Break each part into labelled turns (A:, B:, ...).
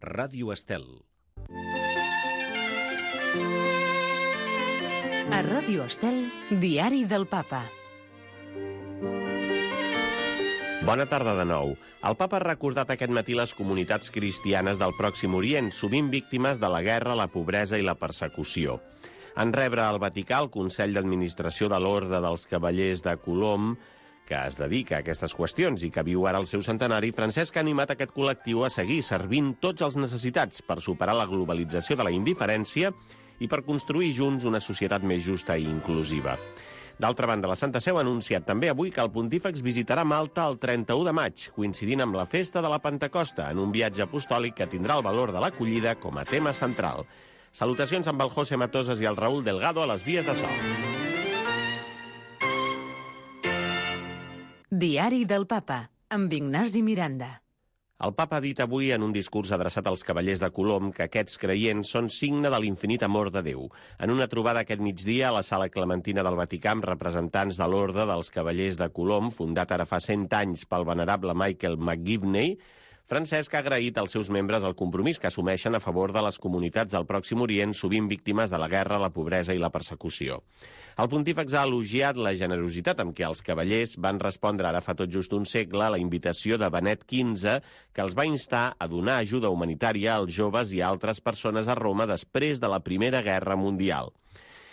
A: Ràdio Estel.
B: A Ràdio Estel, Diari del Papa.
C: Bona tarda de nou. El Papa ha recordat aquest matí les comunitats cristianes del Pròxim Orient, sovint víctimes de la guerra, la pobresa i la persecució. En rebre al Vaticà el Consell d'Administració de l'Orde dels Cavallers de Colom, que es dedica a aquestes qüestions i que viu ara el seu centenari, Francesc ha animat aquest col·lectiu a seguir servint tots els necessitats per superar la globalització de la indiferència i per construir junts una societat més justa i inclusiva. D'altra banda, la Santa Seu ha anunciat també avui que el pontífex visitarà Malta el 31 de maig, coincidint amb la festa de la Pentecosta, en un viatge apostòlic que tindrà el valor de l'acollida com a tema central. Salutacions amb el José Matosas i el Raúl Delgado a les vies de so.
B: Diari del Papa, amb Ignasi Miranda.
C: El Papa ha dit avui en un discurs adreçat als cavallers de Colom que aquests creients són signe de l'infinit amor de Déu. En una trobada aquest migdia a la Sala Clementina del Vaticà amb representants de l'Orde dels Cavallers de Colom, fundat ara fa 100 anys pel venerable Michael McGivney, Francesc ha agraït als seus membres el compromís que assumeixen a favor de les comunitats del Pròxim Orient, sovint víctimes de la guerra, la pobresa i la persecució. El pontífex ha elogiat la generositat amb què els cavallers van respondre ara fa tot just un segle a la invitació de Benet XV, que els va instar a donar ajuda humanitària als joves i a altres persones a Roma després de la Primera Guerra Mundial.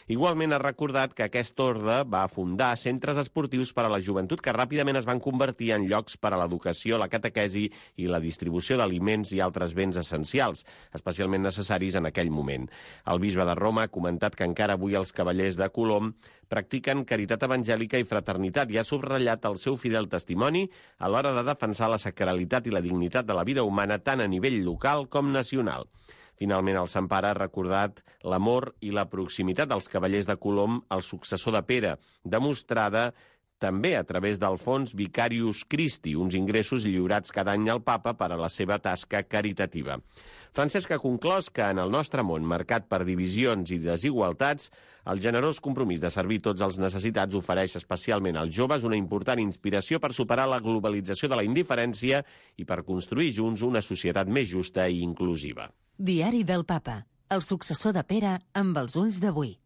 C: Igualment ha recordat que aquest orde va fundar centres esportius per a la joventut que ràpidament es van convertir en llocs per a l'educació, la catequesi i la distribució d'aliments i altres béns essencials, especialment necessaris en aquell moment. El bisbe de Roma ha comentat que encara avui els cavallers de Colom practiquen caritat evangèlica i fraternitat i ha subratllat el seu fidel testimoni a l'hora de defensar la sacralitat i la dignitat de la vida humana tant a nivell local com nacional. Finalment, el Sant Pare ha recordat l'amor i la proximitat dels cavallers de Colom al successor de Pere, demostrada també a través del fons Vicarius Christi, uns ingressos lliurats cada any al Papa per a la seva tasca caritativa. Francesc ha conclòs que en el nostre món, marcat per divisions i desigualtats, el generós compromís de servir tots els necessitats ofereix especialment als joves una important inspiració per superar la globalització de la indiferència i per construir junts una societat més justa i inclusiva.
B: Diari del Papa, el successor de Pere amb els ulls d'avui.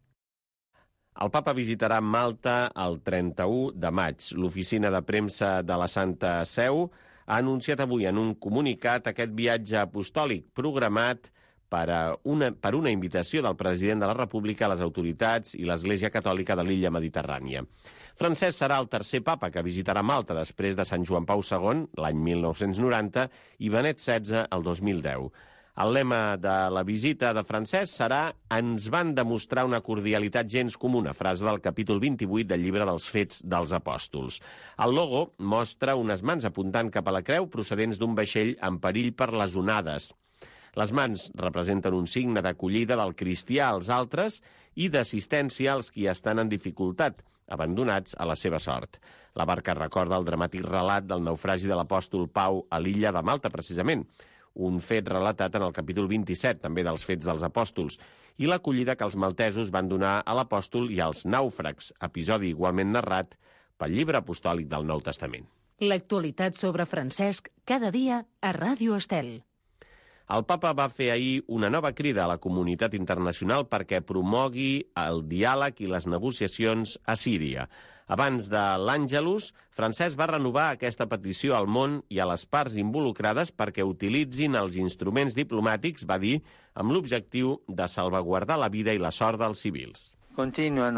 C: El Papa visitarà Malta el 31 de maig. L'oficina de premsa de la Santa Seu ha anunciat avui en un comunicat aquest viatge apostòlic programat per una invitació del president de la República a les autoritats i l'Església Catòlica de l'illa Mediterrània. Francesc serà el tercer papa que visitarà Malta després de Sant Joan Pau II, l'any 1990, i Benet XVI, el 2010. El lema de la visita de Francesc serà «Ens van demostrar una cordialitat gens comuna», frase del capítol 28 del llibre dels Fets dels Apòstols. El logo mostra unes mans apuntant cap a la creu procedents d'un vaixell en perill per les onades. Les mans representen un signe d'acollida del cristià als altres i d'assistència als qui estan en dificultat, abandonats a la seva sort. La barca recorda el dramàtic relat del naufragi de l'apòstol Pau a l'illa de Malta, precisament, un fet relatat en el capítol 27, també dels Fets dels Apòstols, i l'acollida que els maltesos van donar a l'apòstol i als nàufrags, episodi igualment narrat pel llibre apostòlic del Nou Testament.
B: L'actualitat sobre Francesc cada dia a Ràdio Estel.
C: El Papa va fer ahir una nova crida a la comunitat internacional perquè promogui el diàleg i les negociacions a Síria. Abans de l'Àngelus, Francesc va renovar aquesta petició al món i a les parts involucrades perquè utilitzin els instruments diplomàtics, va dir, amb l'objectiu de salvaguardar la vida i la sort dels civils. Continuen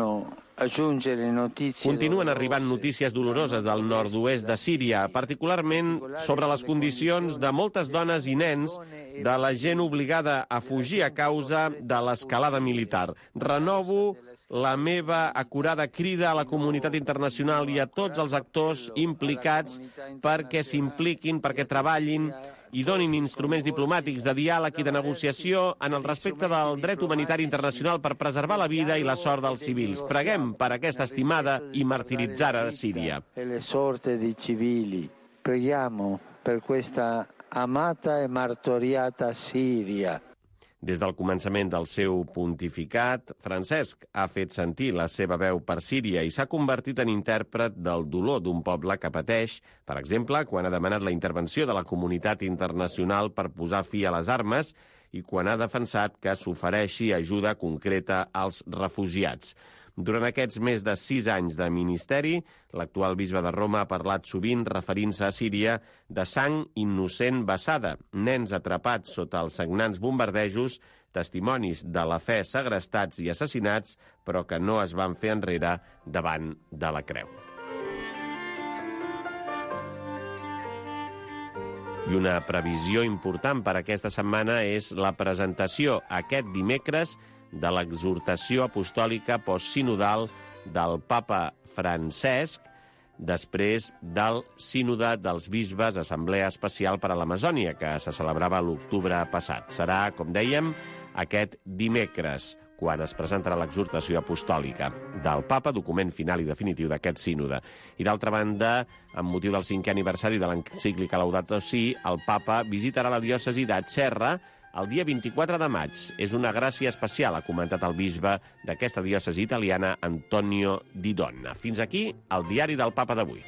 C: arribant notícies doloroses del nord-oest de Síria, particularment sobre les condicions de moltes dones i nens, de la gent obligada a fugir a causa de l'escalada militar. Renovo la meva acurada crida a la comunitat internacional i a tots els actors implicats perquè s'impliquin, perquè treballin i donin instruments diplomàtics de diàleg i de negociació en el respecte del dret humanitari internacional per preservar la vida i la sort dels civils. Preguem per aquesta estimada i martiritzada Síria.
D: Preghiamo per questa amata e martoriata Siria.
C: Des del començament del seu pontificat, Francesc ha fet sentir la seva veu per Síria i s'ha convertit en intèrpret del dolor d'un poble que pateix, per exemple, quan ha demanat la intervenció de la comunitat internacional per posar fi a les armes i quan ha defensat que s'ofereixi ajuda concreta als refugiats. Durant aquests més de 6 anys de ministeri, l'actual bisbe de Roma ha parlat sovint, referint-se a Síria, de sang innocent vessada, nens atrapats sota els sagnants bombardejos, testimonis de la fe segrestats i assassinats, però que no es van fer enrere davant de la creu. I una previsió important per aquesta setmana és la presentació aquest dimecres de l'exhortació apostòlica postsinodal del papa Francesc després del sínode dels bisbes, assemblea especial per a l'Amazònia, que se celebrava l'octubre passat. Serà, com dèiem, aquest dimecres, quan es presentarà l'exhortació apostòlica del papa, document final i definitiu d'aquest sínode. I d'altra banda, amb motiu del 5è aniversari de l'encíclica Laudato Si, el papa visitarà la diòcesi de Cerra el dia 24 de maig. És una gràcia especial, ha comentat el bisbe d'aquesta diòcesi italiana, Antonio Di Donna. Fins aquí el diari del papa d'avui.